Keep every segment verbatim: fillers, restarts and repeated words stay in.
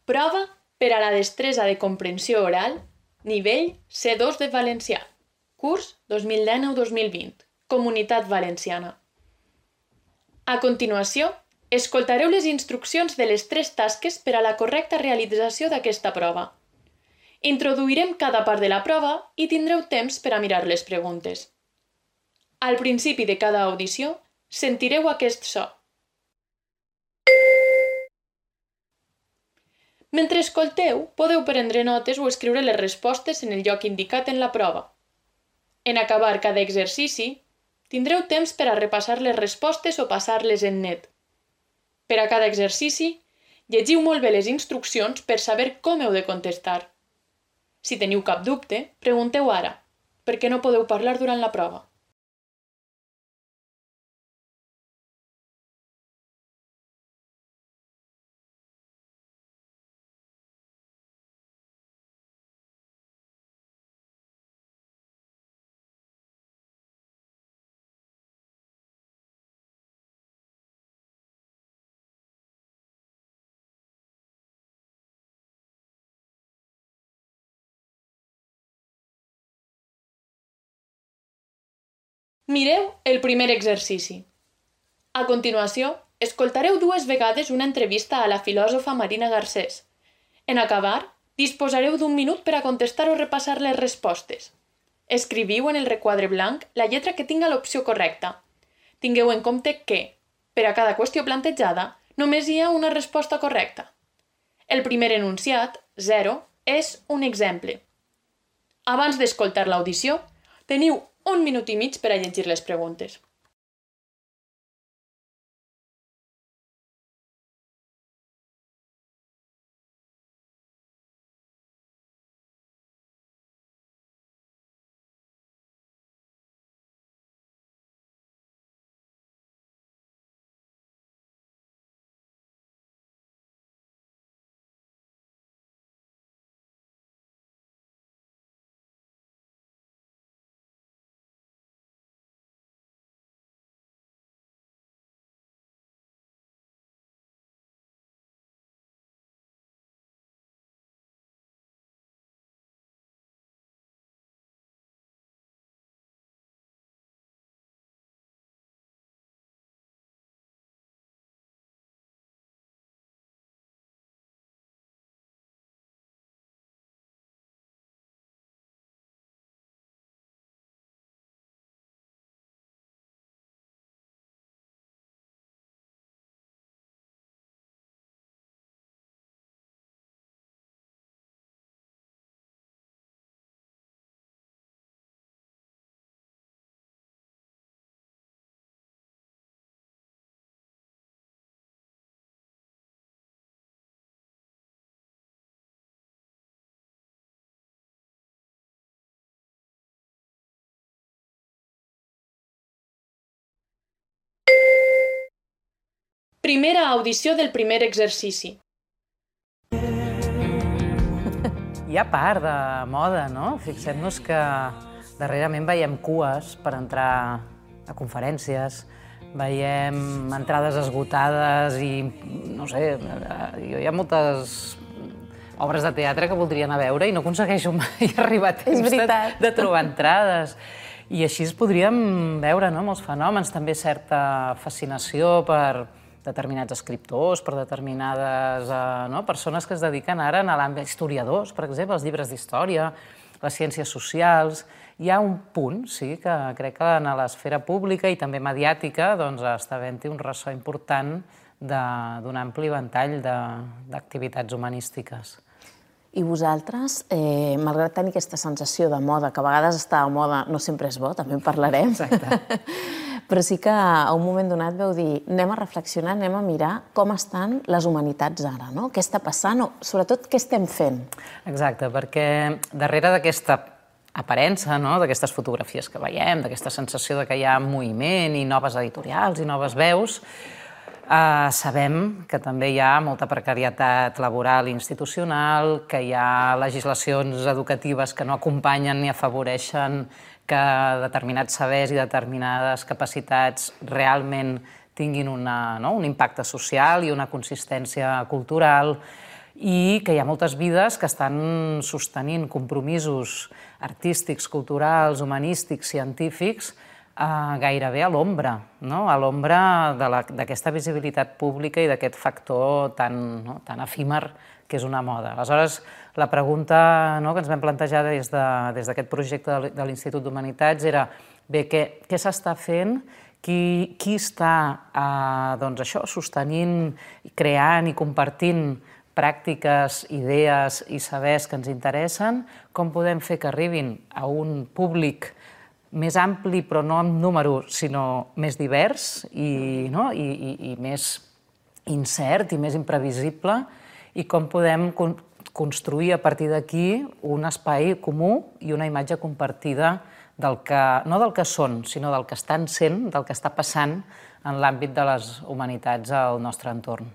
Prova per a la destresa de comprensió oral, nivell C dos de valencià, curs dos mil dinou dos mil vint, Comunitat Valenciana. A continuació, escoltareu les instruccions de les tres tasques per a la correcta realització d'aquesta prova. Introduirem cada part de la prova i tindreu temps per a mirar les preguntes. Al principi de cada audició, sentireu aquest so. Mentre escolteu, podeu prendre notes o escriure les respostes en el lloc indicat en la prova. En acabar cada exercici, tindreu temps per a repassar les respostes o passar-les en net. Per a cada exercici, llegiu molt bé les instruccions per saber com heu de contestar. Si teniu cap dubte, pregunteu ara, perquè no podeu parlar durant la prova. Mireu el primer exercici. A continuació, escoltareu dues vegades una entrevista a la filòsofa Marina Garcés. En acabar, disposareu d'un minut per a contestar o repassar les respostes. Escriviu en el requadre blanc la lletra que tinga l'opció correcta. Tingueu en compte que, per a cada qüestió plantejada, només hi ha una resposta correcta. El primer enunciat, zero, és un exemple. Abans d'escoltar l'audició, teniu un minut i mig per a llegir les preguntes. Primera audició del primer exercici. Hi ha part de moda, no? Fixem-nos que darrerament veiem cues per entrar a conferències, veiem entrades esgotades i, no sé, hi ha moltes obres de teatre que voldria anar a veure i no aconsegueixo mai arribar a temps de, de trobar entrades. I així es podríem veure, no?, molts fenòmens, també certa fascinació per determinats escriptors, per determinades eh, no, persones que es dediquen ara a l'àmbit historiadors, per exemple, els llibres d'història, les ciències socials. Hi ha un punt, sí, que crec que en l'esfera pública i també mediàtica doncs, està havent-hi un ressò important d'un ampli ventall d'activitats humanístiques. I vosaltres, eh, malgrat tenir aquesta sensació de moda, que a vegades estar de moda no sempre és bo, també en parlarem, Exacte. però sí que a un moment donat veu dir anem a reflexionar, anem a mirar com estan les humanitats ara, no? Què està passant o, sobretot, què estem fent? Exacte, perquè darrere d'aquesta aparença, no?, d'aquestes fotografies que veiem, d'aquesta sensació de que hi ha moviment i noves editorials i noves veus, Uh, sabem que també hi ha molta precarietat laboral i institucional, que hi ha legislacions educatives que no acompanyen ni afavoreixen que determinats sabers i determinades capacitats realment tinguin una, no, un impacte social i una consistència cultural. i que hi ha moltes vides que estan sostenint compromisos artístics, culturals, humanístics, científics, eh, gairebé a l'ombra, no? A l'ombra d'aquesta visibilitat pública i d'aquest factor tan, no? tan efímer que és una moda. Aleshores, la pregunta, no, que ens vam plantejar des d'aquest de, projecte de l'Institut d'Humanitats era bé, què, què s'està fent, qui, qui està eh, doncs això, sostenint, creant i compartint pràctiques, idees i sabers que ens interessen, com podem fer que arribin a un públic més ampli, però no en número, sinó més divers i, no? I, i, i més incert i més imprevisible, i com podem con construir a partir d'aquí un espai comú i una imatge compartida del que, no del que són, sinó del que estan sent, del que està passant en l'àmbit de les humanitats al nostre entorn.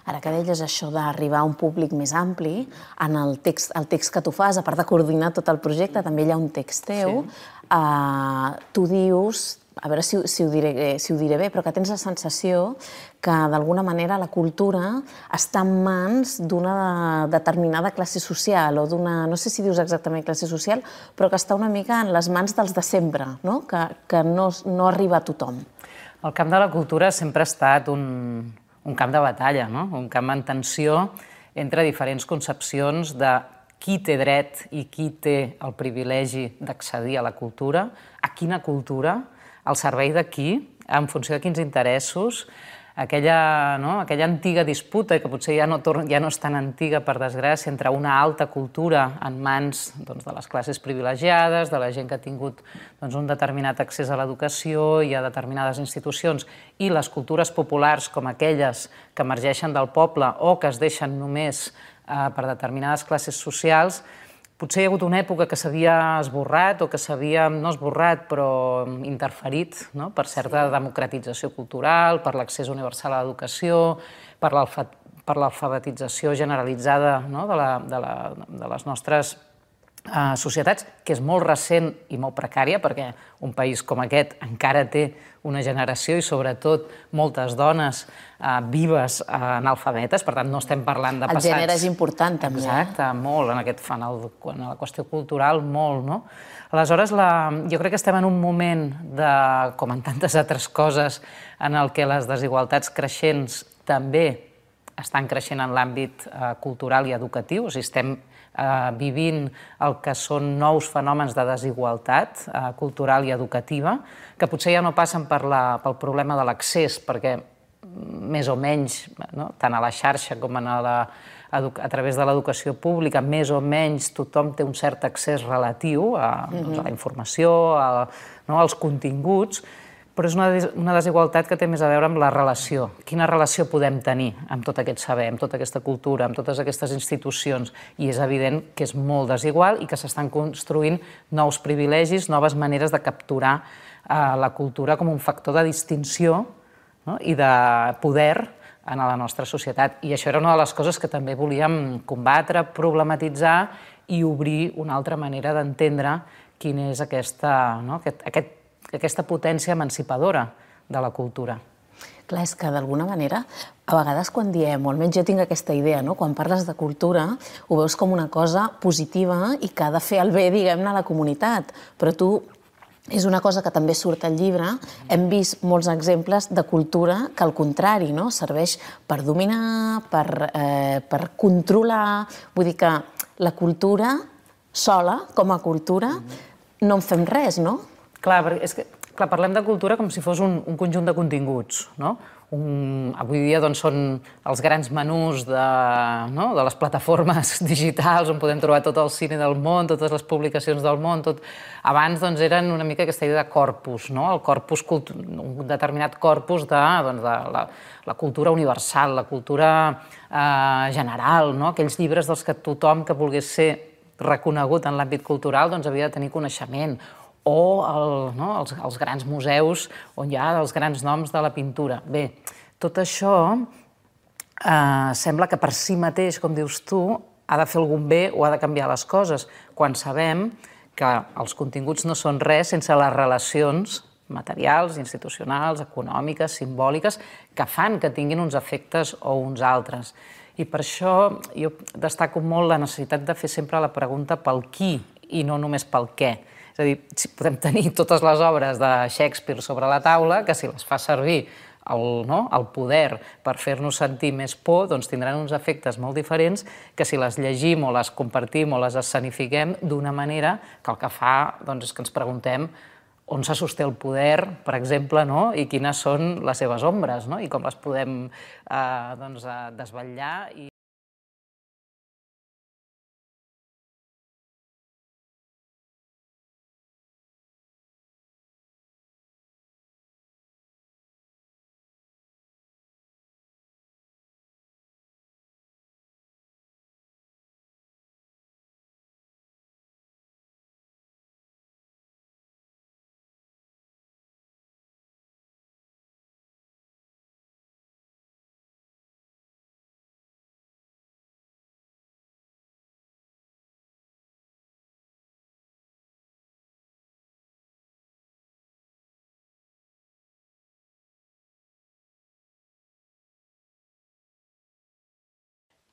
Ara que deies això d'arribar a un públic més ampli, en el text, el text que tu fas, a part de coordinar tot el projecte, també hi ha un text teu. Sí. Uh, tu dius, a veure si, si, ho diré, si ho diré bé, però que tens la sensació que d'alguna manera la cultura està en mans d'una determinada classe social o d'una, no sé si dius exactament classe social, però que està una mica en les mans dels de sempre, no? Que, que no, no arriba a tothom. El camp de la cultura sempre ha estat un, un camp de batalla, no? Un camp en tensió entre diferents concepcions de qui té dret i qui té el privilegi d'accedir a la cultura, a quina cultura, al servei de qui, en funció de quins interessos, aquella, no? aquella antiga disputa, que potser ja no, ja no és tan antiga, per desgràcia, entre una alta cultura en mans doncs, de les classes privilegiades, de la gent que ha tingut doncs, un determinat accés a l'educació i a determinades institucions, i les cultures populars com aquelles que emergeixen del poble o que es deixen només eh, per determinades classes socials. Potser hi ha hagut una època que s'havia esborrat o que s'havia, no esborrat, però interferit, no? Per certa democratització cultural, per l'accés universal a l'educació, per l'alfabetització generalitzada, no? de, la, de, la, de les nostres eh, societats, que és molt recent i molt precària, perquè un país com aquest encara té una generació i sobretot moltes dones eh, vives eh, analfabetes, per tant no estem parlant de passats... El gènere és important també. Exacte, molt, en, aquest, en, el, en la qüestió cultural, molt, no? Aleshores, la, jo crec que estem en un moment, de, com en tantes altres coses, en el que les desigualtats creixents també estan creixent en l'àmbit eh, cultural i educatiu, o sigui, estem eh, vivint el que són nous fenòmens de desigualtat eh, cultural i educativa, que potser ja no passen per la, pel problema de l'accés, perquè més o menys, no? Tant a la xarxa com a, la, a través de l'educació pública, més o menys tothom té un cert accés relatiu a, doncs, a la informació, a, no? als continguts, però és una, una desigualtat que té més a veure amb la relació. Quina relació podem tenir amb tot aquest saber, amb tota aquesta cultura, amb totes aquestes institucions? I és evident que és molt desigual i que s'estan construint nous privilegis, noves maneres de capturar eh, la cultura com un factor de distinció, no? I de poder en la nostra societat. I això era una de les coses que també volíem combatre, problematitzar i obrir una altra manera d'entendre quina és aquesta, no? aquest, aquest aquesta potència emancipadora de la cultura. Clar, és que d'alguna manera, a vegades quan diem, o almenys jo tinc aquesta idea, no? Quan parles de cultura, ho veus com una cosa positiva i que ha de fer el bé, diguem-ne, a la comunitat. Però tu, és una cosa que també surt al llibre, hem vist molts exemples de cultura que al contrari, no? Serveix per dominar, per, eh, per controlar. Vull dir que la cultura sola, com a cultura, no en fem res, no? Clar, és que, clar, parlem de cultura com si fos un, un conjunt de continguts, no? Un, avui dia doncs, són els grans menús de, no? de les plataformes digitals on podem trobar tot el cine del món, totes les publicacions del món. Tot... Abans doncs, eren una mica aquesta idea de corpus, no? El corpus, un determinat corpus de, doncs, de la, la cultura universal, la cultura eh, general, no? Aquells llibres dels que tothom que volgués ser reconegut en l'àmbit cultural doncs, havia de tenir coneixement, o el, no, els, els grans museus on hi ha els grans noms de la pintura. Bé, tot això eh, sembla que per si mateix, com dius tu, ha de fer algun bé o ha de canviar les coses, quan sabem que els continguts no són res sense les relacions materials, institucionals, econòmiques, simbòliques, que fan que tinguin uns efectes o uns altres. I per això jo destaco molt la necessitat de fer sempre la pregunta pel qui i no només pel què. És a dir, si podem tenir totes les obres de Shakespeare sobre la taula, que si les fa servir el, no, el poder per fer-nos sentir més por, doncs tindran uns efectes molt diferents que si les llegim o les compartim o les escenifiquem d'una manera que el que fa doncs, és que ens preguntem on se sosté el poder, per exemple, no? I quines són les seves ombres, no? I com les podem eh, doncs, desvetllar. I...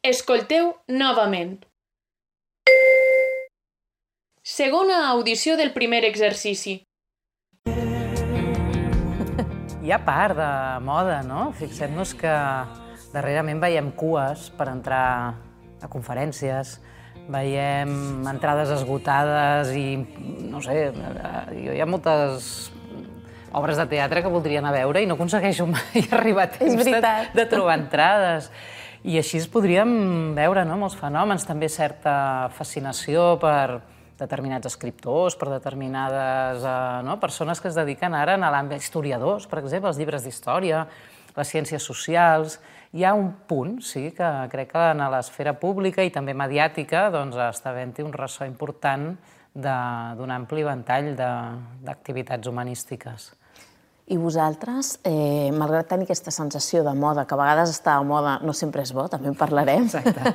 Escolteu novament. Segona audició del primer exercici. Hi ha part de moda, no? Fixem-nos que darrerament veiem cues per entrar a conferències, veiem entrades esgotades i, no sé, jo hi ha moltes obres de teatre que voldria anar a veure i no aconsegueixo mai arribar a temps de, de trobar entrades. I així podríem veure no, molts fenòmens, també certa fascinació per determinats escriptors, per determinades eh, no, persones que es dediquen ara a l'àmbit historiadors, per exemple, els llibres d'història, les ciències socials. Hi ha un punt, sí, que crec que en l'esfera pública i també mediàtica doncs, està havent-hi un ressò important d'un ampli ventall d'activitats humanístiques. I vosaltres, eh, malgrat tenir aquesta sensació de moda, que a vegades estar a moda no sempre és bo, també en parlarem, exacte.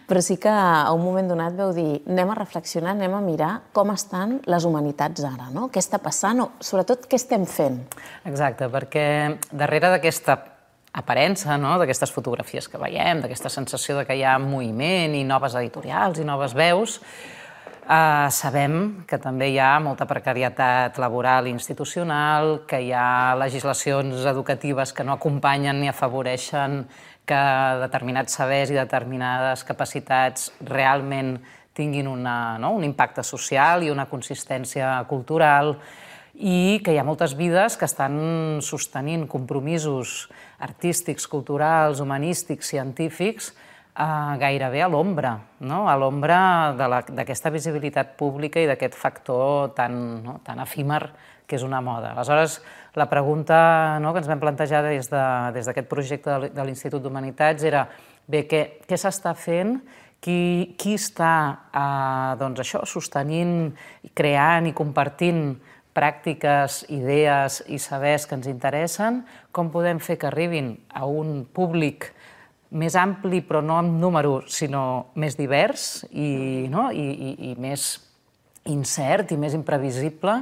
Però sí que a un moment donat veu dir anem a reflexionar, anem a mirar com estan les humanitats ara, no? Què està passant o, sobretot, què estem fent? Exacte, perquè darrere d'aquesta aparença, no? D'aquestes fotografies que veiem, d'aquesta sensació de que hi ha moviment i noves editorials i noves veus, Uh, sabem que també hi ha molta precarietat laboral i institucional, que hi ha legislacions educatives que no acompanyen ni afavoreixen que determinats sabers i determinades capacitats realment tinguin una, no? un impacte social i una consistència cultural, i que hi ha moltes vides que estan sostenint compromisos artístics, culturals, humanístics, científics, Uh, gairebé a l'ombra, no? A l'ombra d'aquesta visibilitat pública i d'aquest factor tan, no? tan efímer que és una moda. Aleshores, la pregunta no? que ens vam plantejar des d'aquest de, projecte de l'Institut d'Humanitats era bé, què, què s'està fent, qui, qui està uh, doncs això, sostenint, creant i compartint pràctiques, idees i sabers que ens interessen, com podem fer que arribin a un públic més ampli, però no en número, sinó més divers i, no? I, i, i més incert i més imprevisible,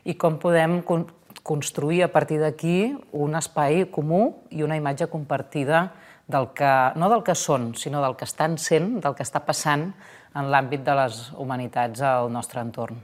i com podem con construir a partir d'aquí un espai comú i una imatge compartida del que, no del que són, sinó del que estan sent, del que està passant en l'àmbit de les humanitats al nostre entorn.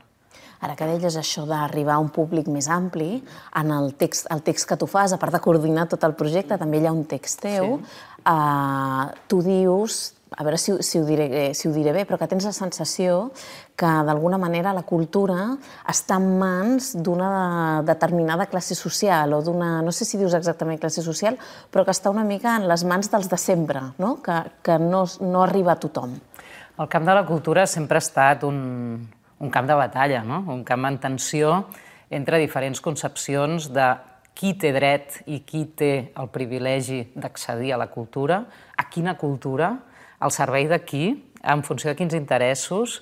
Ara que deies això d'arribar a un públic més ampli, en el text, el text que tu fas, a part de coordinar tot el projecte, també hi ha un text teu. Sí. Uh, tu dius, a veure si, si, ho diré, si ho diré bé, però que tens la sensació que d'alguna manera la cultura està en mans d'una determinada classe social o d'una, no sé si dius exactament classe social, però que està una mica en les mans dels de sempre, no? que, que no, no arriba a tothom. El camp de la cultura sempre ha estat un, un camp de batalla, no? Un camp en tensió entre diferents concepcions de qui té dret i qui té el privilegi d'accedir a la cultura, a quina cultura, al servei de qui, en funció de quins interessos,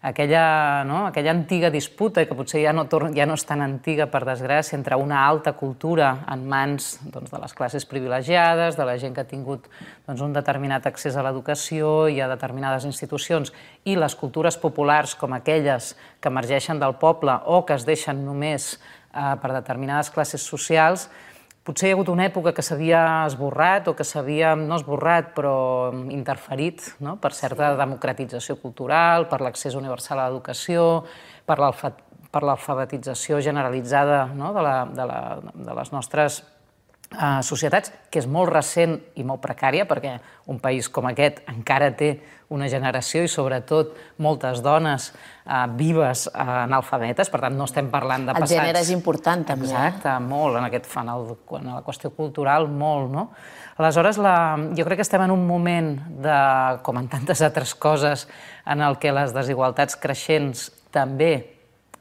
aquella, no? aquella antiga disputa, que potser ja no, ja no és tan antiga, per desgràcia, entre una alta cultura en mans doncs, de les classes privilegiades, de la gent que ha tingut doncs, un determinat accés a l'educació i a determinades institucions, i les cultures populars com aquelles que emergeixen del poble o que es deixen només per determinades classes socials, potser hi ha hagut una època que s'havia esborrat o que s'havia, no esborrat, però interferit, no? Per certa democratització cultural, per l'accés universal a l'educació, per l'alfabetització generalitzada, no? de, la, de, la, de les nostres Uh, societats, que és molt recent i molt precària, perquè un país com aquest encara té una generació i sobretot moltes dones uh, vives uh, analfabetes, per tant no estem parlant de passats... El gènere és important també. Exacte, molt, en, aquest, en, el, en la qüestió cultural, molt, no? Aleshores, la, jo crec que estem en un moment, de, com en tantes altres coses, en el que les desigualtats creixents també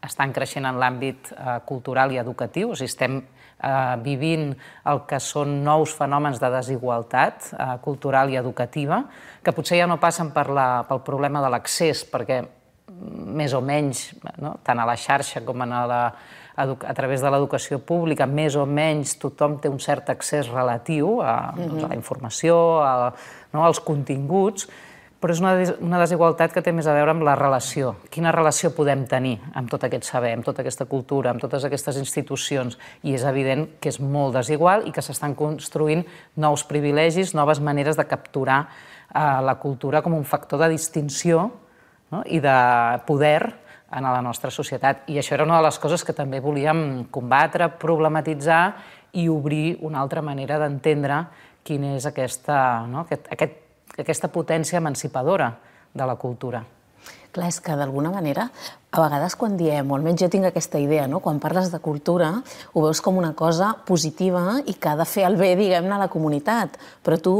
estan creixent en l'àmbit uh, cultural i educatiu, o sigui, estem Uh, vivint el que són nous fenòmens de desigualtat uh, cultural i educativa, que potser ja no passen per la, pel problema de l'accés, perquè més o menys, no? Tant a la xarxa com a, la, a través de l'educació pública, més o menys tothom té un cert accés relatiu a, mm-hmm. doncs, a la informació, a, no? als continguts, però és una, una desigualtat que té més a veure amb la relació. Quina relació podem tenir amb tot aquest saber, amb tota aquesta cultura, amb totes aquestes institucions? I és evident que és molt desigual i que s'estan construint nous privilegis, noves maneres de capturar eh, la cultura com un factor de distinció, no? I de poder en la nostra societat. I això era una de les coses que també volíem combatre, problematitzar i obrir una altra manera d'entendre quina és aquesta, no? aquest, aquest aquesta potència emancipadora de la cultura. Clar, és que d'alguna manera, a vegades quan diem, o almenys jo tinc aquesta idea, no? Quan parles de cultura, ho veus com una cosa positiva i que ha de fer el bé, diguem-ne, a la comunitat. Però tu,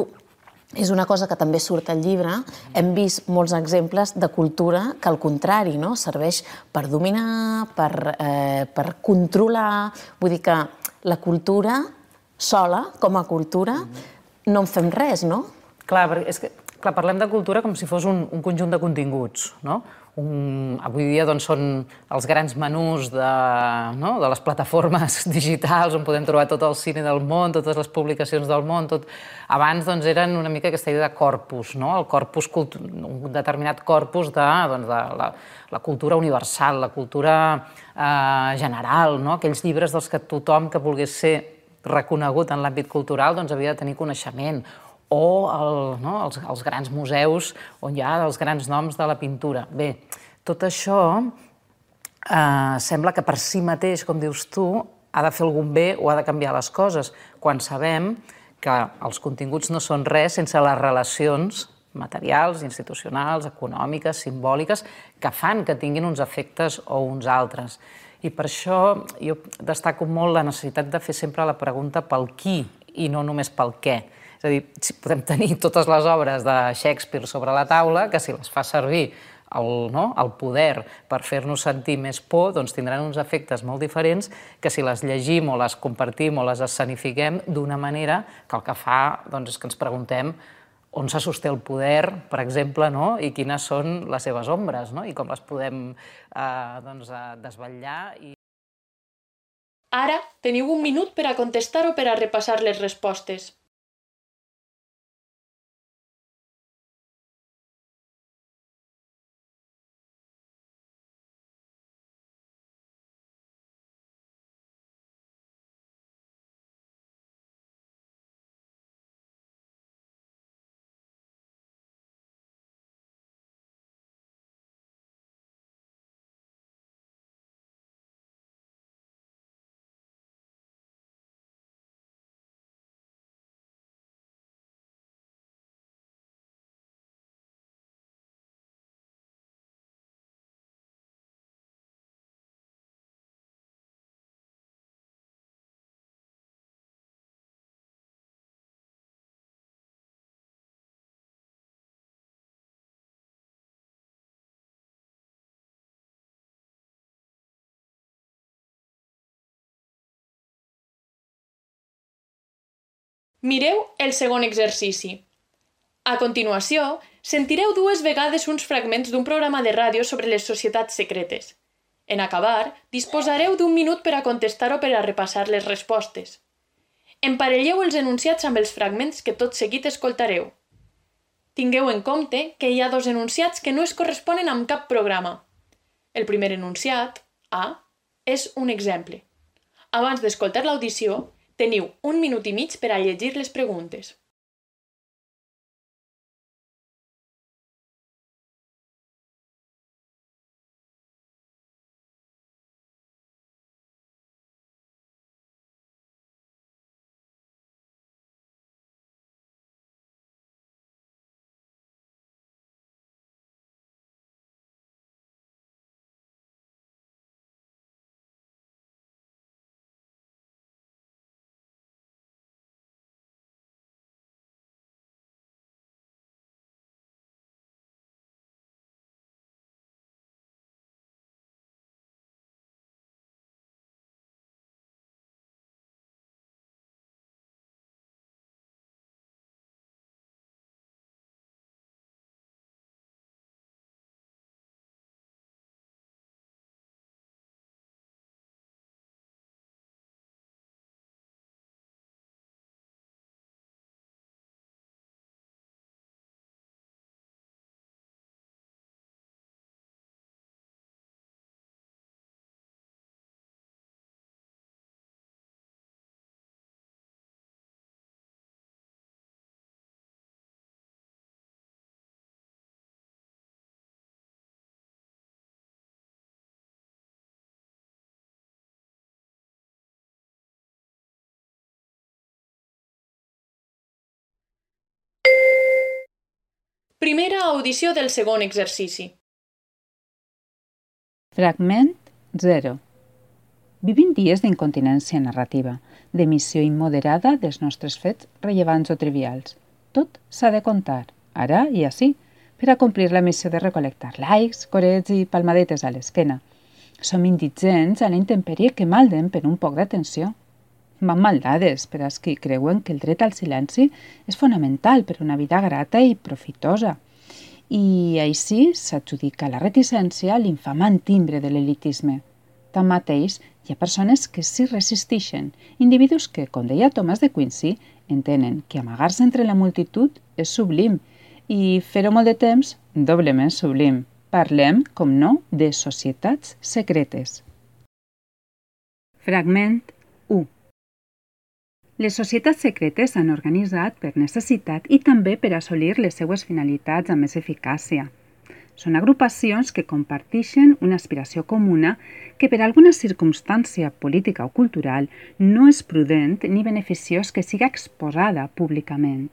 és una cosa que també surt al llibre, hem vist molts exemples de cultura que al contrari, no? Serveix per dominar, per, eh, per controlar. Vull dir que la cultura sola, com a cultura, no en fem res, no? Clar, és que, clar, parlem de cultura com si fos un, un conjunt de continguts, no? Un, avui dia doncs, són els grans menús de, no? de les plataformes digitals on podem trobar tot el cine del món, totes les publicacions del món. Tot... Abans doncs, eren una mica aquesta idea de corpus, no? El corpus, un determinat corpus de, doncs, de la, la cultura universal, la cultura eh, general, no? Aquells llibres dels que tothom que volgués ser reconegut en l'àmbit cultural doncs, havia de tenir coneixement. O el, no, els, els grans museus on hi ha els grans noms de la pintura. Bé, tot això eh, sembla que per si mateix, com dius tu, ha de fer algun bé o ha de canviar les coses, quan sabem que els continguts no són res sense les relacions materials, institucionals, econòmiques, simbòliques, que fan que tinguin uns efectes o uns altres. I per això jo destaco molt la necessitat de fer sempre la pregunta pel qui i no només pel què. És a dir, si podem tenir totes les obres de Shakespeare sobre la taula, que si les fa servir el, no, el poder per fer-nos sentir més por, doncs tindran uns efectes molt diferents que si les llegim o les compartim o les escenifiquem d'una manera que el que fa doncs, és que ens preguntem on se sosté el poder, per exemple, no? I quines són les seves ombres, no? I com les podem eh, doncs, desvetllar. I... Ara teniu un minut per a contestar o per a repassar les respostes. Mireu el segon exercici. A continuació, sentireu dues vegades uns fragments d'un programa de ràdio sobre les societats secretes. En acabar, disposareu d'un minut per a contestar o per a repassar les respostes. Emparelleu els enunciats amb els fragments que tot seguit escoltareu. Tingueu en compte que hi ha dos enunciats que no es corresponen amb cap programa. El primer enunciat, A, és un exemple. Abans d'escoltar l'audició, teniu un minut i mig per a llegir les preguntes. Primera audició del segon exercici. Fragment zero. Vivim dies d'incontinència narrativa, d'emissió immoderada dels nostres fets rellevants o trivials. Tot s'ha de contar, ara i ací, per a complir la missió de recol·lectar likes, corets i palmadetes a l'esquena. Som indigents a la intempèrie que malden per un poc d'atenció. Van maldades per als qui creuen que el dret al silenci és fonamental per una vida grata i profitosa. I així s'adjudica la reticència a l'infamant timbre de l'elitisme. Tanmateix, hi ha persones que s'hi resisteixen, individus que, com deia Thomas de Quincy, entenen que amagar-se entre la multitud és sublim i fer-ho molt de temps, doblement sublim. Parlem, com no, de societats secretes. Fragment u. Les societats secretes s'han organitzat per necessitat i també per assolir les seues finalitats amb més eficàcia. Són agrupacions que comparteixen una aspiració comuna que per alguna circumstància política o cultural no és prudent ni beneficiós que siga exposada públicament.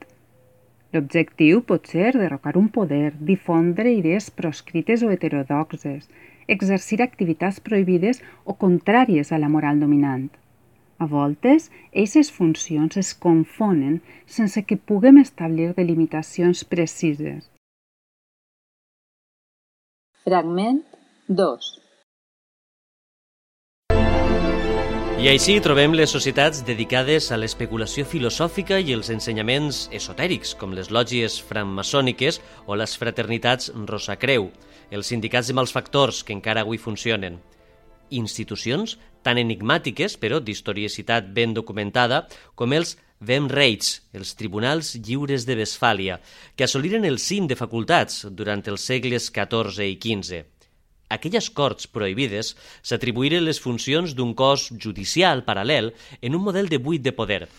L'objectiu pot ser derrocar un poder, difondre idees proscrites o heterodoxes, exercir activitats prohibides o contràries a la moral dominant. A voltes, aquestes funcions es confonen sense que puguem establir delimitacions precises. Fragment dos. I així trobem les societats dedicades a l'especulació filosòfica i els ensenyaments esotèrics, com les lògies francmaçòniques o les fraternitats Rosacreu, els sindicats de malfactors que encara avui funcionen. Institucions tan enigmàtiques, però d'historiicitat ben documentada, com els Wehmrechts, els tribunals lliures de Westfàlia, que assoliren el cim de facultats durant els segles catorze i quinze. Aquelles corts prohibides s'atribuïren les funcions d'un cos judicial paral·lel en un model de buit de poder,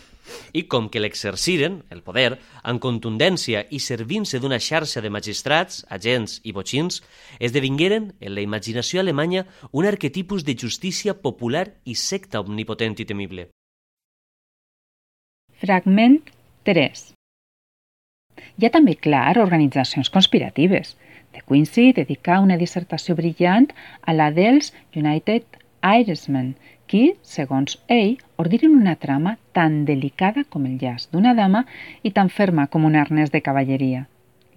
i com que l'exerciren, el poder, amb contundència i servint-se d'una xarxa de magistrats, agents i botxins, esdevingueren, en la imaginació alemanya, un arquetipus de justícia popular i secta omnipotent i temible. Fragment tres. Hi ha també, clar, organitzacions conspiratives. De Quincy dedica una dissertació brillant a la dels United Irishmen, qui, segons ell, ordinen una trama tan delicada com el llaç d'una dama i tan ferma com un arnès de cavalleria.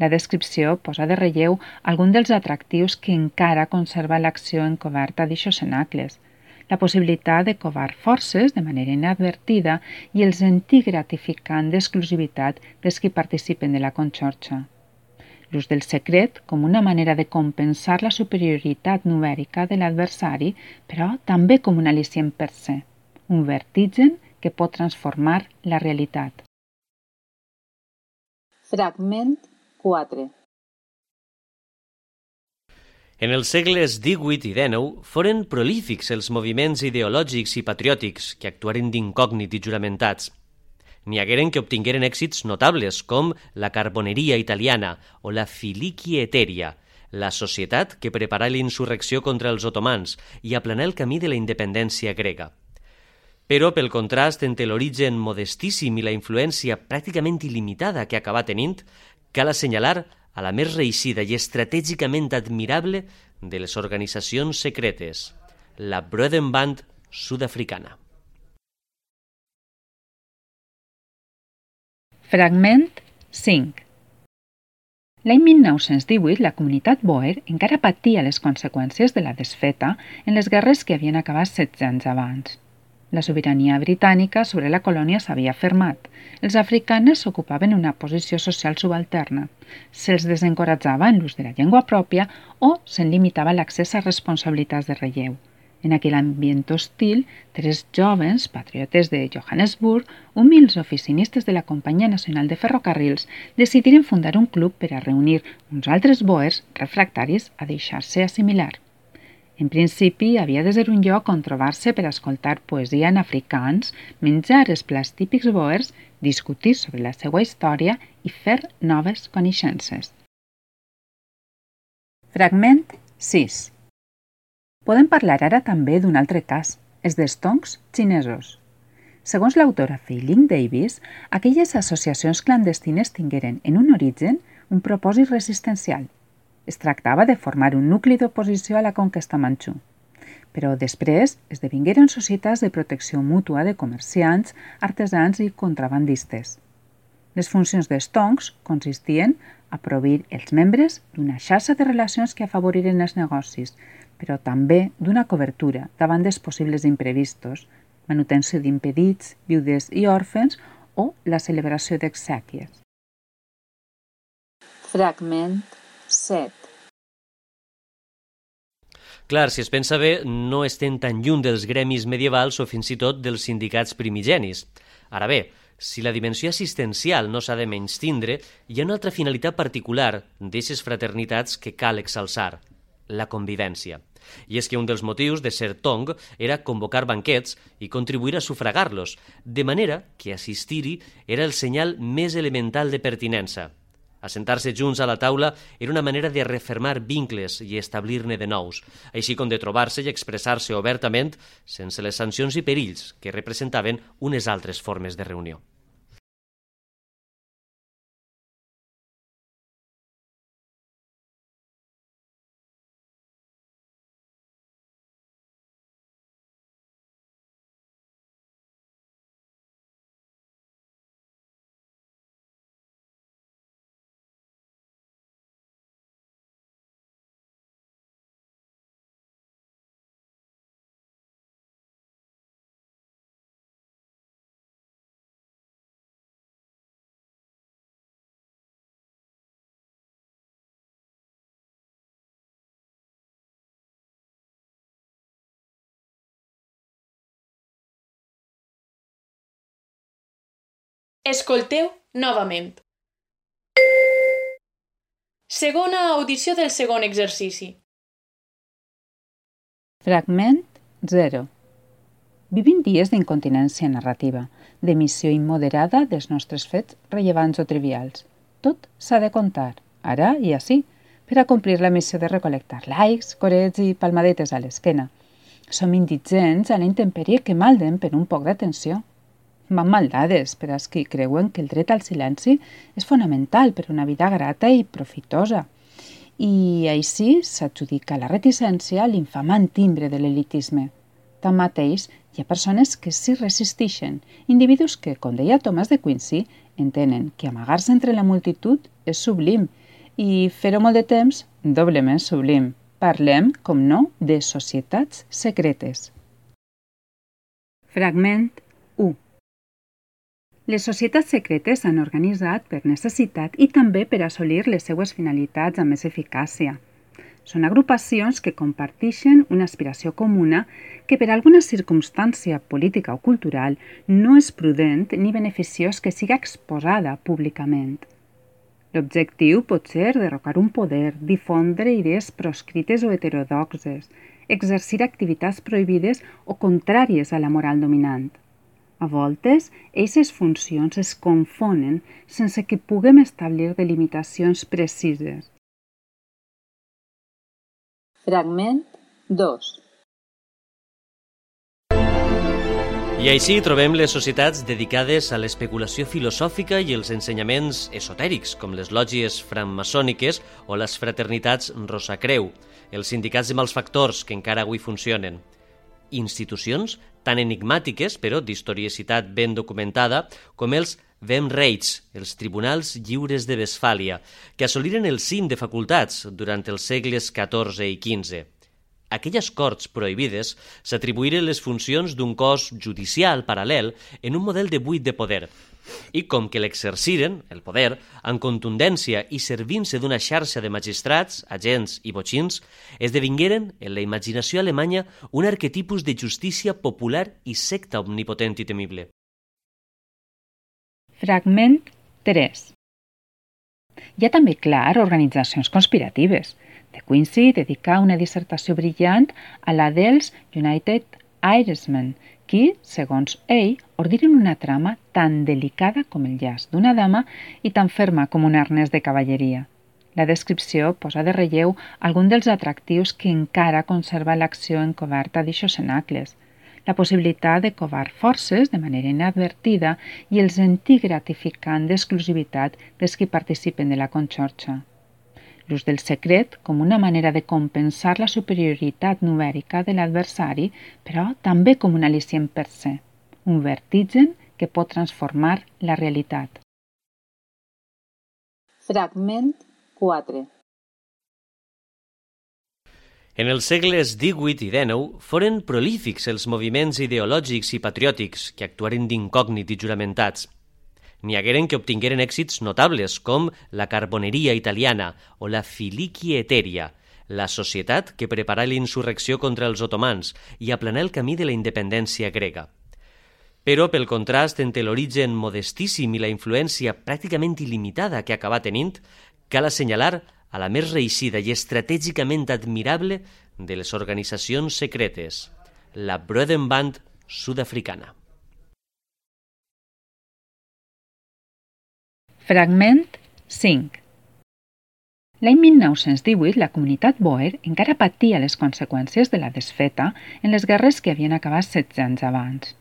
La descripció posa de relleu algun dels atractius que encara conserva l'acció encoberta d'aixos cenacles, la possibilitat de covar forces de manera inadvertida i el sentir gratificant d'exclusivitat dels qui participen de la conxorxa. L'ús del secret com una manera de compensar la superioritat numèrica de l'adversari, però també com un al·licient per se, un vertigen que pot transformar la realitat. Fragment quatre. En els segles divuit i dinou foren prolífics els moviments ideològics i patriòtics que actuaren d'incògnit i juramentats. N'hi hagueren que obtingueren èxits notables, com la carboneria italiana o la Filiki Eteria, la societat que preparà la insurrecció contra els otomans i aplanà el camí de la independència grega. Però, pel contrast entre l'origen modestíssim i la influència pràcticament il·limitada que acabà tenint, cal assenyalar a la més reeixida i estratègicament admirable de les organitzacions secretes, la Broederband sud-africana. Fragment cinc. L'any mil nou-cents divuit, la comunitat Boer encara patia les conseqüències de la desfeta en les guerres que havien acabat setze anys abans. La sobirania britànica sobre la colònia s'havia fermat. Els africans ocupaven una posició social subalterna. Se'ls desencoratjava en l'ús de la llengua pròpia o se'n limitava l'accés a responsabilitats de relleu. En aquell ambient hostil, tres jovens patriotes de Johannesburg, humils oficinistes de la Companyia Nacional de Ferrocarrils, decidiren fundar un club per a reunir uns altres boers refractaris a deixar-se assimilar. En principi, havia de ser un lloc on trobar-se per a escoltar poesia en africans, menjar els plats típics boers, discutir sobre la seva història i fer noves coneixences. Fragment sis. Podem parlar ara també d'un altre cas, els d'estoncs xinesos. Segons l'autora Fei-Ling Davis, aquelles associacions clandestines tingueren en un origen un propòsit resistencial. Es tractava de formar un nucli d'oposició a la conquesta manxú. Però després esdevingueren societats de protecció mútua de comerciants, artesans i contrabandistes. Les funcions d'estoncs consistien a proveir els membres d'una xarxa de relacions que afavoriren els negocis, però també d'una cobertura davant dels possibles imprevistos, manutenció d'impedits, viudes i òrfens o la celebració d'exèquies. Fragment set. Clar, si es pensa bé, no estem tan lluny dels gremis medievals o fins i tot dels sindicats primigenis. Ara bé, si la dimensió assistencial no s'ha de menystindre, hi ha una altra finalitat particular d'aquestes fraternitats que cal exalçar, la convivència. I és que un dels motius de ser tong era convocar banquets i contribuir a sufragar-los, de manera que assistir-hi era el senyal més elemental de pertinença. Assentar-se junts a la taula era una manera de refermar vincles i establir-ne de nous, així com de trobar-se i expressar-se obertament sense les sancions i perills que representaven unes altres formes de reunió. Escolteu novament. Segona audició del segon exercici. Fragment zero. Vivim dies d'incontinència narrativa, d'emissió immoderada dels nostres fets rellevants o trivials. Tot s'ha de contar, ara i ací, per a complir la missió de recol·lectar likes, corets i palmadetes a l'esquena. Som indigents a la intempèrie que malden per un poc d'atenció. Van maldades per als qui creuen que el dret al silenci és fonamental per a una vida grata i profitosa. I així s'adjudica la reticència l'infamant timbre de l'elitisme. Tanmateix, hi ha persones que s'hi resisteixen, individus que, com deia Thomas de Quincy, entenen que amagar-se entre la multitud és sublim i fer-ho molt de temps, doblement sublim. Parlem, com no, de societats secretes. Fragment u. Les societats secretes s'han organitzat per necessitat i també per assolir les seues finalitats amb més eficàcia. Són agrupacions que comparteixen una aspiració comuna que per alguna circumstància política o cultural no és prudent ni beneficiós que siga exposada públicament. L'objectiu pot ser derrocar un poder, difondre idees proscrites o heterodoxes, exercir activitats prohibides o contràries a la moral dominant. A voltes, aquestes funcions es confonen sense que puguem establir delimitacions precises. Fragment dos. I així trobem les societats dedicades a l'especulació filosòfica i els ensenyaments esotèrics, com les lògies francmaçòniques o les fraternitats Rosacreu, els sindicats de malfactors que encara avui funcionen. Institucions tan enigmàtiques, però d'historiicitat ben documentada, com els Wehmrechts, els tribunals lliures de Westfàlia, que assoliren el cim de facultats durant els segles catorze i quinze. Aquelles corts prohibides s'atribuïren les funcions d'un cos judicial paral·lel en un model de buit de poder, i com que l'exerciren, el poder, amb contundència i servint-se d'una xarxa de magistrats, agents i botxins, esdevingueren, en la imaginació alemanya, un arquetipus de justícia popular i secta omnipotent i temible. Fragment tres. Hi ha també, clar, organitzacions conspiratives. De Quincey dedicà una dissertació brillant a la dels United Irishmen, qui, segons ell, ordiren una trama tan delicada com el llaç d'una dama i tan ferma com un arnès de cavalleria. La descripció posa de relleu algun dels atractius que encara conserva l'acció encoberta d'eixos cenacles, la possibilitat de covar forces de manera inadvertida i el sentir gratificant d'exclusivitat dels qui participen de la conxorxa. L'ús del secret com una manera de compensar la superioritat numèrica de l'adversari, però també com un al·licient per se, un vertigen que pot transformar la realitat. Fragment quatre. En els segles divuit i dinou foren prolífics els moviments ideològics i patriòtics que actuaren d'incògnit i juramentats. N'hi hagueren que obtingueren èxits notables, com la carboneria italiana o la Filiqui Etèria, la societat que preparà l'insurrecció contra els otomans i aplanà el camí de la independència grega. Però, pel contrast entre l'origen modestíssim i la influència pràcticament il·limitada que acabà tenint, cal assenyalar a la més reeixida i estratègicament admirable de les organitzacions secretes, la Broederband sud-africana. Fragment cinc. L'any mil nou-cents divuit, la comunitat Boer encara patia les conseqüències de la desfeta en les guerres que havien acabat setze anys abans.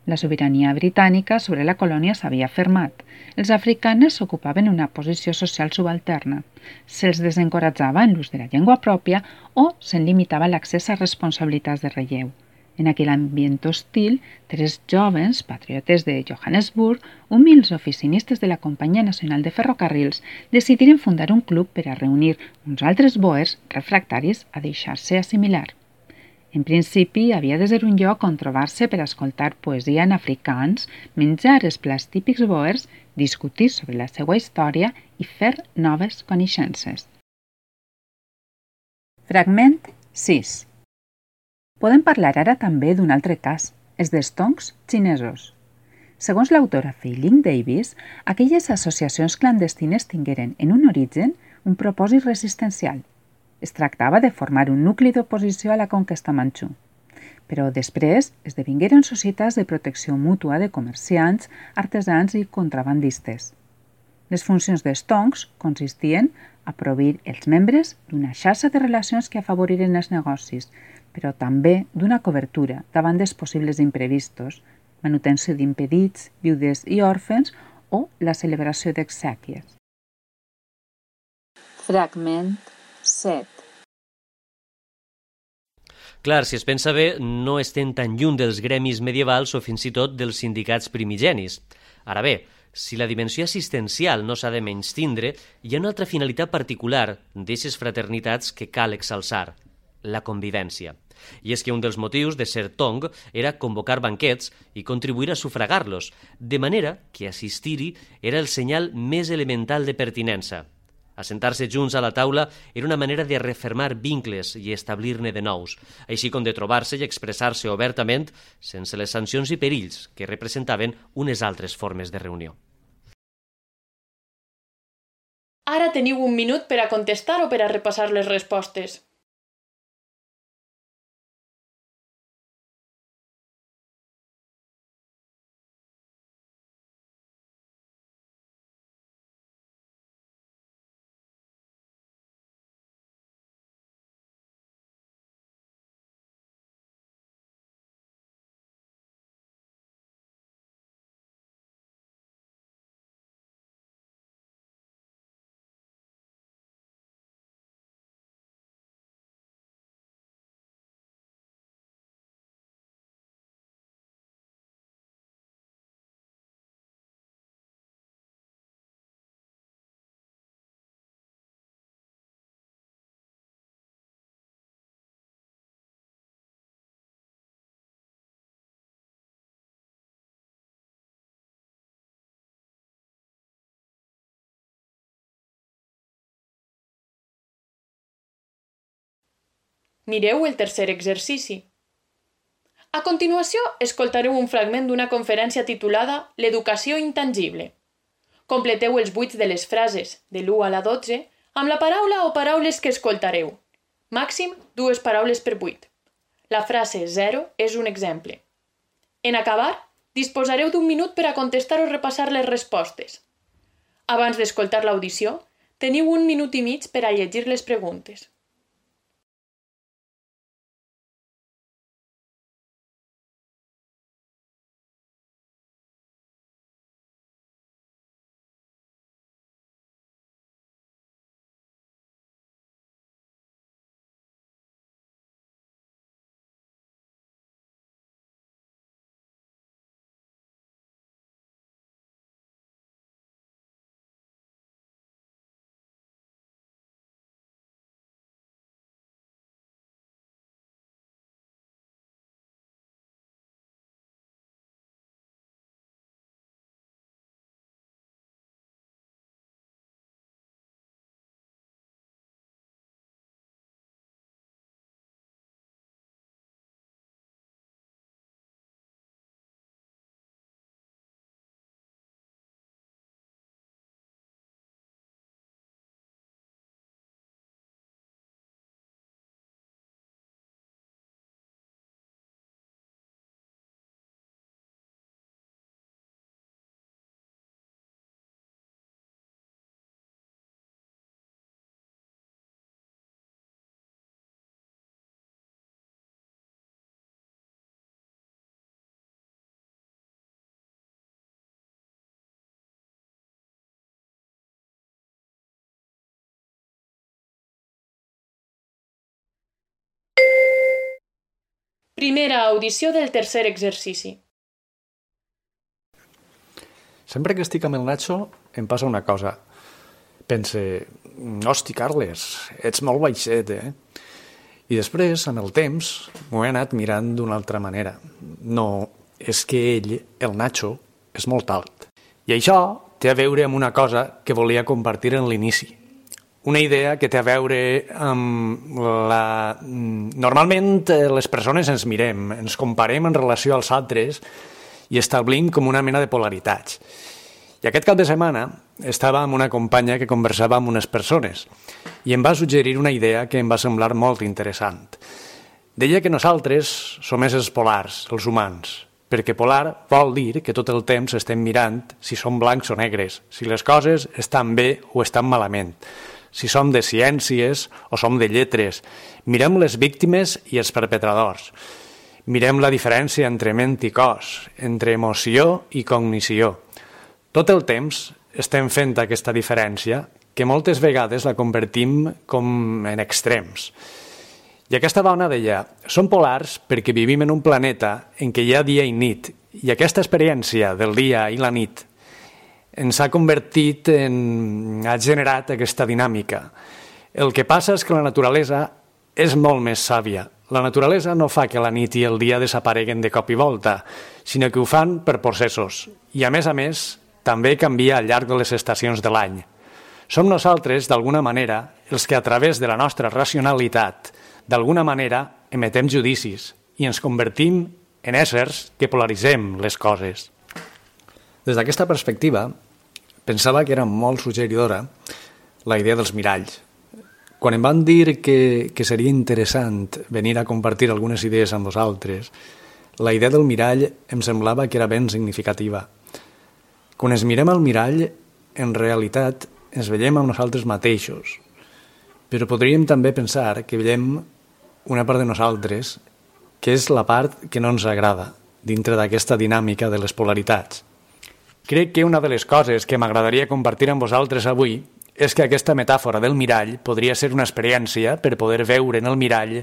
La sobirania britànica sobre la colònia s'havia fermat. Els africans ocupaven una posició social subalterna. Se'ls desencoratjava en l'ús de la llengua pròpia o se'n limitava l'accés a responsabilitats de relleu. En aquell ambient hostil, tres jovens patriotes de Johannesburg, humils oficinistes de la Companyia Nacional de Ferrocarrils, decidiren fundar un club per a reunir uns altres boers refractaris a deixar-se assimilar. En principi, havia de ser un lloc on trobar-se per a escoltar poesia en africans, menjar els plats típics boers, discutir sobre la seva història i fer noves coneixences. Fragment sis. Podem parlar ara també d'un altre cas, els dels tongs xinesos. Segons l'autora Fei-Ling Davis, aquelles associacions clandestines tingueren en un origen un propòsit resistencial. Es tractava de formar un nucli d'oposició a la conquesta manxú. Però després esdevingueren societats de protecció mútua de comerciants, artesans i contrabandistes. Les funcions dels tongs consistien a proveir els membres d'una xarxa de relacions que afavoriren els negocis, però també d'una cobertura davant dels possibles imprevistos, manutenció d'impedits, viudes i òrfens o la celebració d'exèquies. Fragment set. Clar, si es pensa bé, no estem tan lluny dels gremis medievals o fins i tot dels sindicats primigenis. Ara bé, si la dimensió assistencial no s'ha de menystindre, hi ha una altra finalitat particular d'aquestes fraternitats que cal exalçar, la convivència. I és que un dels motius de ser tong era convocar banquets i contribuir a sufragar-los, de manera que assistir-hi era el senyal més elemental de pertinença. Assentar-se junts a la taula era una manera de refermar vincles i establir-ne de nous, així com de trobar-se i expressar-se obertament sense les sancions i perills que representaven unes altres formes de reunió. Ara teniu un minut per a contestar o per a repassar les respostes. Mireu el tercer exercici. A continuació, escoltareu un fragment d'una conferència titulada L'educació intangible. Completeu els buits de les frases, de l'u a la dotze, amb la paraula o paraules que escoltareu. Màxim dues paraules per buit. La frase zero és un exemple. En acabar, disposareu d'un minut per a contestar o repassar les respostes. Abans d'escoltar l'audició, teniu un minut i mig per a llegir les preguntes. Primera audició del tercer exercici. Sempre que estic amb el Nacho em passa una cosa. Pense, hosti, Carles, ets molt baixet, eh? I després, amb el temps, m'ho he anat mirant d'una altra manera. No, és que ell, el Nacho, és molt alt. I això té a veure amb una cosa que volia compartir en l'inici. Una idea que té a veure amb la... Normalment les persones ens mirem, ens comparem en relació als altres i establim com una mena de polaritats. I aquest cap de setmana estava amb una companya que conversava amb unes persones i em va suggerir una idea que em va semblar molt interessant. Deia que nosaltres som éssers polars, els humans, perquè polar vol dir que tot el temps estem mirant si som blancs o negres, si les coses estan bé o estan malament, si som de ciències o som de lletres. Mirem les víctimes i els perpetradors. Mirem la diferència entre ment i cos, entre emoció i cognició. Tot el temps estem fent aquesta diferència que moltes vegades la convertim com en extrems. I aquesta dona deia, som polars perquè vivim en un planeta en què hi ha dia i nit, i aquesta experiència del dia i la nit ens ha convertit en... ha generat aquesta dinàmica. El que passa és que la naturalesa és molt més sàvia. La naturalesa no fa que la nit i el dia desapareguen de cop i volta, sinó que ho fan per processos. I a més a més, també canvia al llarg de les estacions de l'any. Som nosaltres, d'alguna manera, els que a través de la nostra racionalitat, d'alguna manera, emetem judicis i ens convertim en éssers que polaritzem les coses. Des d'aquesta perspectiva, pensava que era molt suggeridora la idea dels miralls. Quan em van dir que, que seria interessant venir a compartir algunes idees amb vosaltres, la idea del mirall em semblava que era ben significativa. Quan ens mirem al mirall, en realitat ens veiem amb nosaltres mateixos, però podríem també pensar que veiem una part de nosaltres que és la part que no ens agrada dintre d'aquesta dinàmica de les polaritats. Crec que una de les coses que m'agradaria compartir amb vosaltres avui és que aquesta metàfora del mirall podria ser una experiència per poder veure en el mirall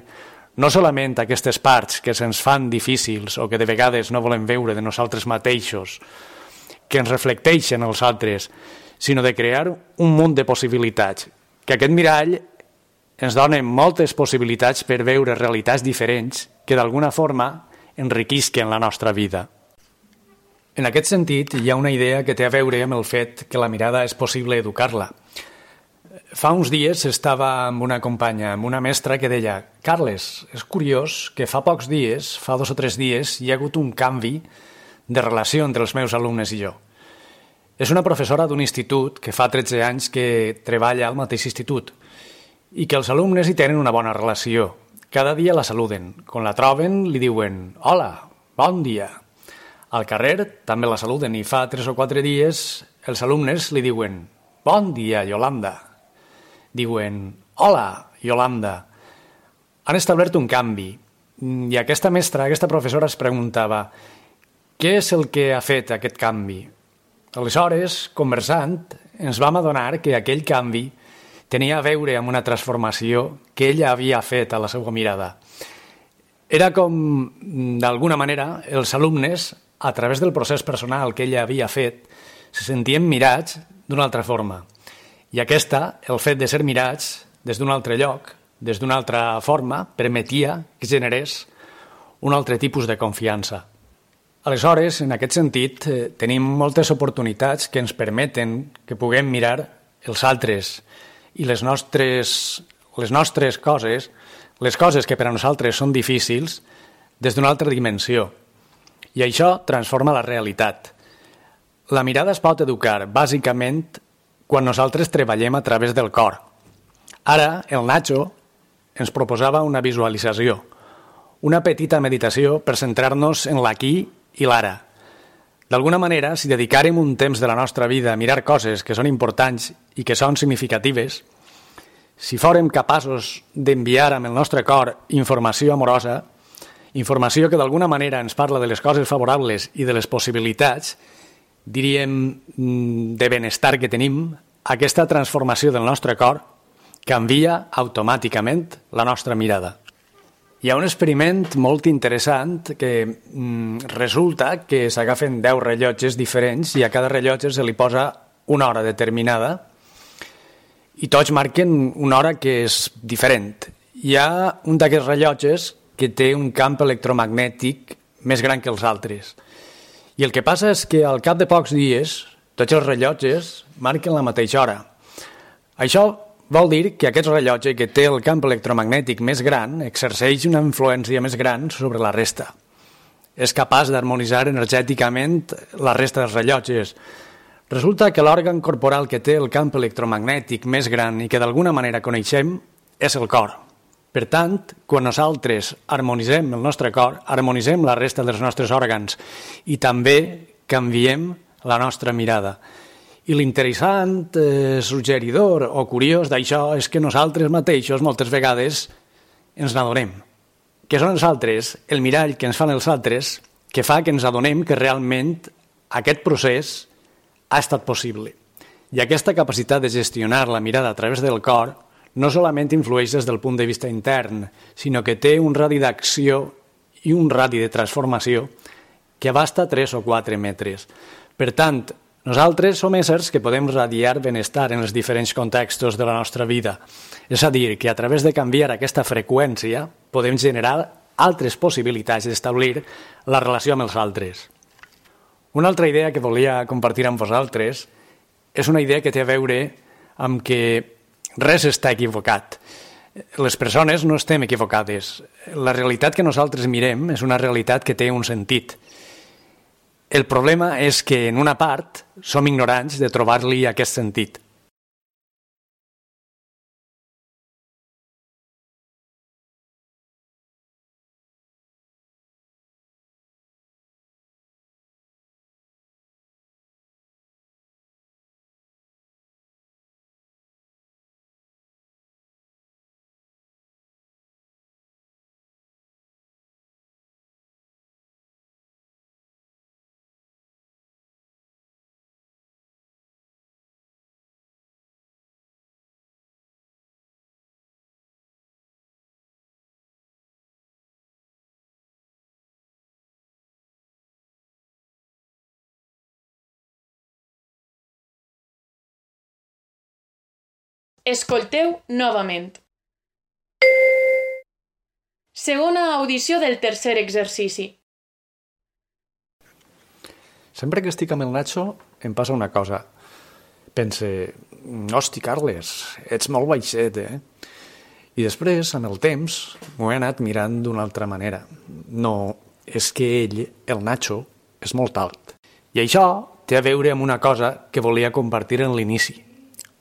no solament aquestes parts que se'ns fan difícils o que de vegades no volem veure de nosaltres mateixos, que ens reflecteixen els altres, sinó de crear un munt de possibilitats, que aquest mirall ens dona moltes possibilitats per veure realitats diferents que d'alguna forma enriquisquen la nostra vida. En aquest sentit, hi ha una idea que té a veure amb el fet que la mirada és possible educar-la. Fa uns dies estava amb una companya, amb una mestra que deia «Carles, és curiós que fa pocs dies, fa dos o tres dies, hi ha hagut un canvi de relació entre els meus alumnes i jo». És una professora d'un institut que fa tretze anys que treballa al mateix institut i que els alumnes hi tenen una bona relació. Cada dia la saluden. Quan la troben, li diuen «Hola, bon dia». Al carrer també la saluden i fa tres o quatre dies els alumnes li diuen «Bon dia, Yolanda». Diuen «Hola, Yolanda». Han establert un canvi i aquesta mestra, aquesta professora es preguntava «Què és el que ha fet aquest canvi?» Aleshores, conversant, ens vam adonar que aquell canvi tenia a veure amb una transformació que ella havia fet a la seva mirada. Era com, d'alguna manera, els alumnes, a través del procés personal que ella havia fet, se sentien mirats d'una altra forma. I aquesta, el fet de ser mirats des d'un altre lloc, des d'una altra forma, permetia que generés un altre tipus de confiança. Aleshores, en aquest sentit, eh, tenim moltes oportunitats que ens permeten que puguem mirar els altres i les nostres, les nostres coses, les coses que per a nosaltres són difícils, des d'una altra dimensió. I això transforma la realitat. La mirada es pot educar, bàsicament, quan nosaltres treballem a través del cor. Ara, el Nacho ens proposava una visualització, una petita meditació per centrar-nos en l'aquí i l'ara. D'alguna manera, si dedicàrem un temps de la nostra vida a mirar coses que són importants i que són significatives, si fórem capaços d'enviar amb el nostre cor informació amorosa, informació que d'alguna manera ens parla de les coses favorables i de les possibilitats, diríem, de benestar que tenim, aquesta transformació del nostre cor canvia automàticament la nostra mirada. Hi ha un experiment molt interessant que mm, resulta que s'agafen deu rellotges diferents i a cada rellotge se li posa una hora determinada i tots marquen una hora que és diferent. Hi ha un d'aquests rellotges que té un camp electromagnètic més gran que els altres. I el que passa és que al cap de pocs dies tots els rellotges marquen la mateixa hora. Això vol dir que aquest rellotge que té el camp electromagnètic més gran exerceix una influència més gran sobre la resta. És capaç d'harmonitzar energèticament la resta dels rellotges. Resulta que l'òrgan corporal que té el camp electromagnètic més gran i que d'alguna manera coneixem és el cor. Per tant, quan nosaltres harmonitzem el nostre cor, harmonitzem la resta dels nostres òrgans i també canviem la nostra mirada. I l'interessant, eh, suggeridor o curiós d'això és que nosaltres mateixos moltes vegades ens n'adonem. Que són els altres, el mirall que ens fan els altres, que fa que ens adonem que realment aquest procés ha estat possible. I aquesta capacitat de gestionar la mirada a través del cor no solament influeix des del punt de vista intern, sinó que té un radi d'acció i un radi de transformació que abasta tres o quatre metres. Per tant, nosaltres som éssers que podem radiar benestar en els diferents contextos de la nostra vida. És a dir, que a través de canviar aquesta freqüència podem generar altres possibilitats d'establir la relació amb els altres. Una altra idea que volia compartir amb vosaltres és una idea que té a veure amb que res està equivocat. Les persones no estem equivocades. La realitat que nosaltres mirem és una realitat que té un sentit. El problema és que, en una part, som ignorants de trobar-li aquest sentit. Escolteu novament. Segona audició del tercer exercici. Sempre que estic amb el Nacho em passa una cosa. Pense, hosti, Carles, ets molt baixet, eh? I després, amb el temps, m'ho he anat mirant d'una altra manera. No, és que ell, el Nacho, és molt alt. I això té a veure amb una cosa que volia compartir en l'inici.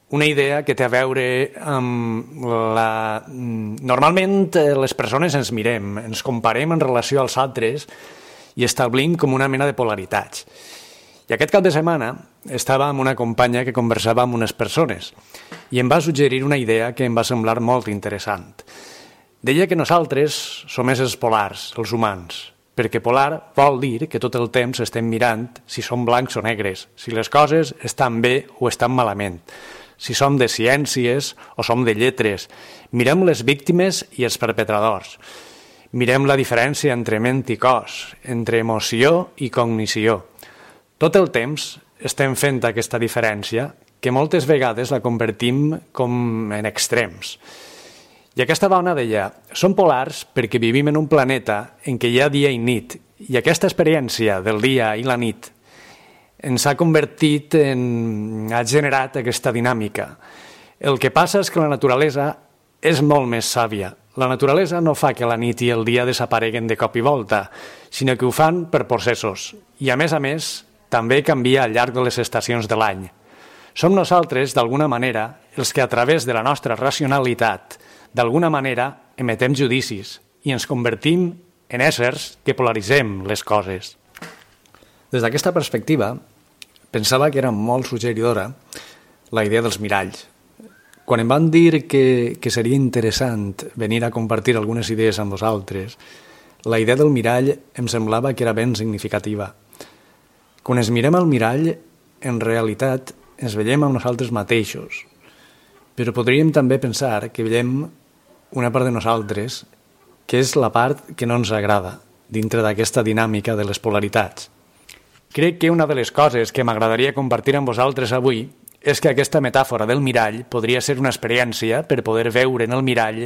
Una idea que té a veure amb la... Normalment les persones ens mirem, ens comparem en relació als altres i establim com una mena de polaritats. I aquest cap de setmana estava amb una companya que conversava amb unes persones i em va suggerir una idea que em va semblar molt interessant. Deia que nosaltres som éssers polars, els humans, perquè polar vol dir que tot el temps estem mirant si som blancs o negres, si les coses estan bé o estan malament, si som de ciències o som de lletres. Mirem les víctimes i els perpetradors. Mirem la diferència entre ment i cos, entre emoció i cognició. Tot el temps estem fent aquesta diferència que moltes vegades la convertim com en extrems. I aquesta dona deia, som polars perquè vivim en un planeta en què hi ha dia i nit, i aquesta experiència del dia i la nit ens ha convertit en... ha generat aquesta dinàmica. El que passa és que la naturalesa és molt més sàvia. La naturalesa no fa que la nit i el dia desapareguen de cop i volta, sinó que ho fan per processos. I a més a més, també canvia al llarg de les estacions de l'any. Som nosaltres, d'alguna manera, els que a través de la nostra racionalitat, d'alguna manera, emetem judicis i ens convertim en éssers que polaritzem les coses. Des d'aquesta perspectiva, pensava que era molt suggeridora la idea dels miralls. Quan em van dir que, que seria interessant venir a compartir algunes idees amb vosaltres, la idea del mirall em semblava que era ben significativa. Quan ens mirem al mirall, en realitat ens veiem amb nosaltres mateixos, però podríem també pensar que veiem una part de nosaltres que és la part que no ens agrada dintre d'aquesta dinàmica de les polaritats. Crec que una de les coses que m'agradaria compartir amb vosaltres avui és que aquesta metàfora del mirall podria ser una experiència per poder veure en el mirall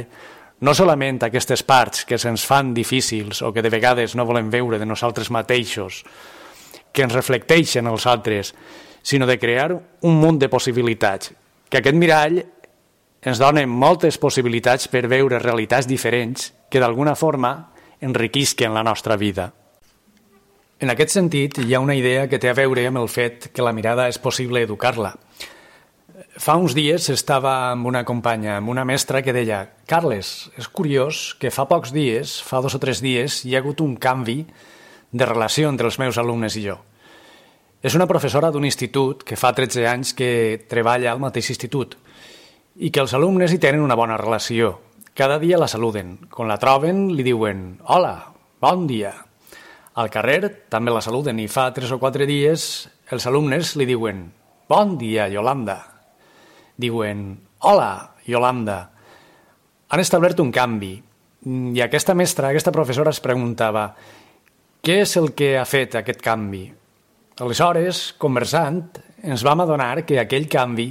no solament aquestes parts que se'ns fan difícils o que de vegades no volem veure de nosaltres mateixos, que ens reflecteixen els altres, sinó de crear un munt de possibilitats, que aquest mirall ens dona moltes possibilitats per veure realitats diferents que d'alguna forma enriquisquen la nostra vida. En aquest sentit, hi ha una idea que té a veure amb el fet que la mirada és possible educar-la. Fa uns dies estava amb una companya, amb una mestra que deia «Carles, és curiós que fa pocs dies, fa dos o tres dies, hi ha hagut un canvi de relació entre els meus alumnes i jo». És una professora d'un institut que fa tretze anys que treballa al mateix institut i que els alumnes hi tenen una bona relació. Cada dia la saluden. Quan la troben, li diuen «Hola, bon dia». Al carrer també la saluden i fa tres o quatre dies els alumnes li diuen «Bon dia, Yolanda». Diuen «Hola, Yolanda». Han establert un canvi i aquesta mestra, aquesta professora es preguntava «Què és el que ha fet aquest canvi?». Aleshores, conversant, ens vam adonar que aquell canvi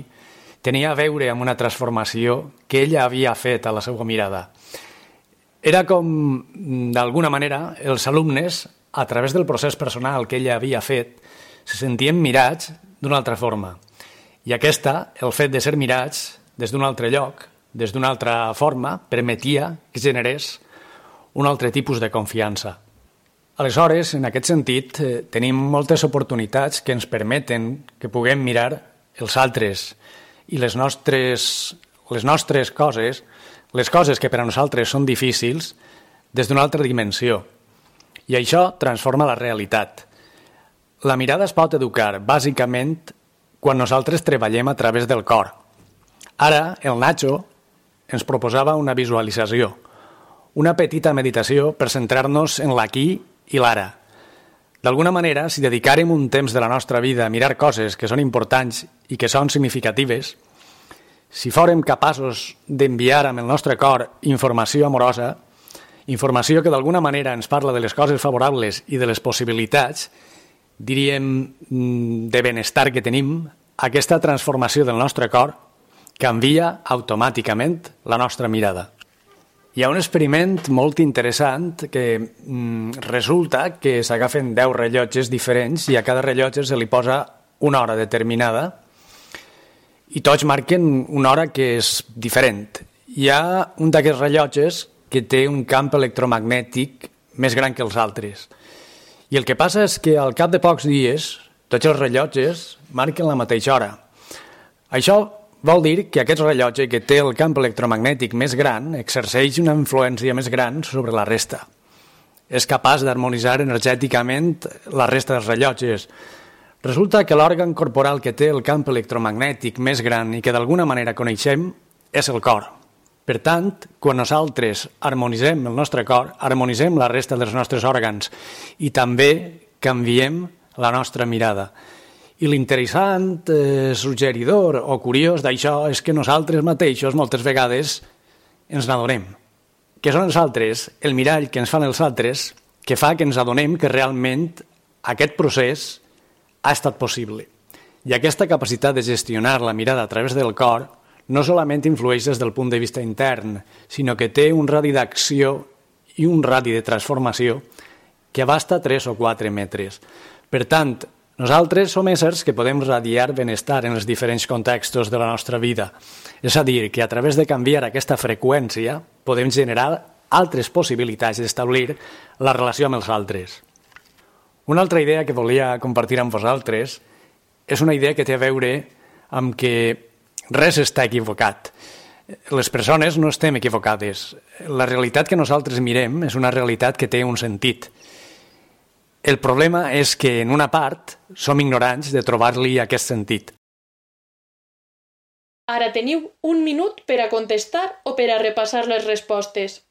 tenia a veure amb una transformació que ella havia fet a la seva mirada. Era com, d'alguna manera, els alumnes, a través del procés personal que ella havia fet, se sentien mirats d'una altra forma. I aquesta, el fet de ser mirats des d'un altre lloc, des d'una altra forma, permetia que generés un altre tipus de confiança. Aleshores, en aquest sentit, eh, tenim moltes oportunitats que ens permeten que puguem mirar els altres i les nostres, les nostres coses, les coses que per a nosaltres són difícils, des d'una altra dimensió. I això transforma la realitat. La mirada es pot educar, bàsicament, quan nosaltres treballem a través del cor. Ara, el Nacho ens proposava una visualització, una petita meditació per centrar-nos en l'aquí i l'ara. D'alguna manera, si dedicàrem un temps de la nostra vida a mirar coses que són importants i que són significatives, si fórem capaços d'enviar amb el nostre cor informació amorosa, informació que d'alguna manera ens parla de les coses favorables i de les possibilitats, diríem, de benestar que tenim, aquesta transformació del nostre cor, canvia automàticament la nostra mirada. Hi ha un experiment molt interessant que mm, resulta que s'agafen deu rellotges diferents i a cada rellotge se li posa una hora determinada i tots marquen una hora que és diferent. Hi ha un d'aquests rellotges que té un camp electromagnètic més gran que els altres. I el que passa és que al cap de pocs dies tots els rellotges marquen la mateixa hora. Això vol dir que aquest rellotge que té el camp electromagnètic més gran exerceix una influència més gran sobre la resta. És capaç d'harmonitzar energèticament la resta dels rellotges. Resulta que l'òrgan corporal que té el camp electromagnètic més gran i que d'alguna manera coneixem és el cor. Per tant, quan nosaltres harmonitzem el nostre cor, harmonitzem la resta dels nostres òrgans i també canviem la nostra mirada. I l'interessant, eh, suggeridor o curiós d'això és que nosaltres mateixos moltes vegades ens n'adonem. Que són els altres, el mirall que ens fan els altres, que fa que ens adonem que realment aquest procés ha estat possible. I aquesta capacitat de gestionar la mirada a través del cor no solament influeix des del punt de vista intern, sinó que té un radi d'acció i un radi de transformació que abasta tres o quatre metres. Per tant, nosaltres som éssers que podem radiar benestar en els diferents contextos de la nostra vida. És a dir, que a través de canviar aquesta freqüència podem generar altres possibilitats d'establir la relació amb els altres. Una altra idea que volia compartir amb vosaltres és una idea que té a veure amb que res està equivocat. Les persones no estem equivocades. La realitat que nosaltres mirem és una realitat que té un sentit. El problema és que, en una part, som ignorants de trobar-li aquest sentit. Ara teniu un minut per a contestar o per a repassar les respostes.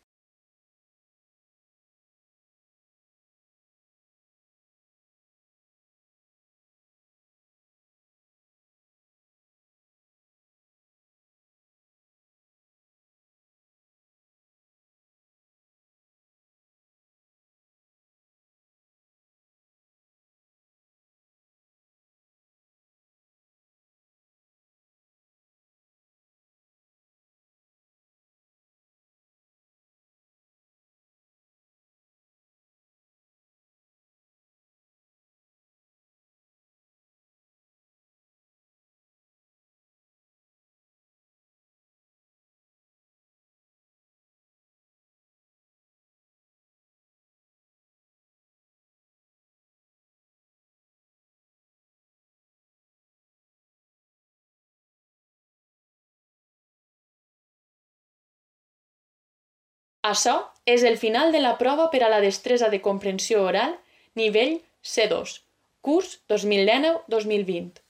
Això és el final de la prova per a la destresa de comprensió oral nivell C dos, curs dos mil dinou dos mil vint.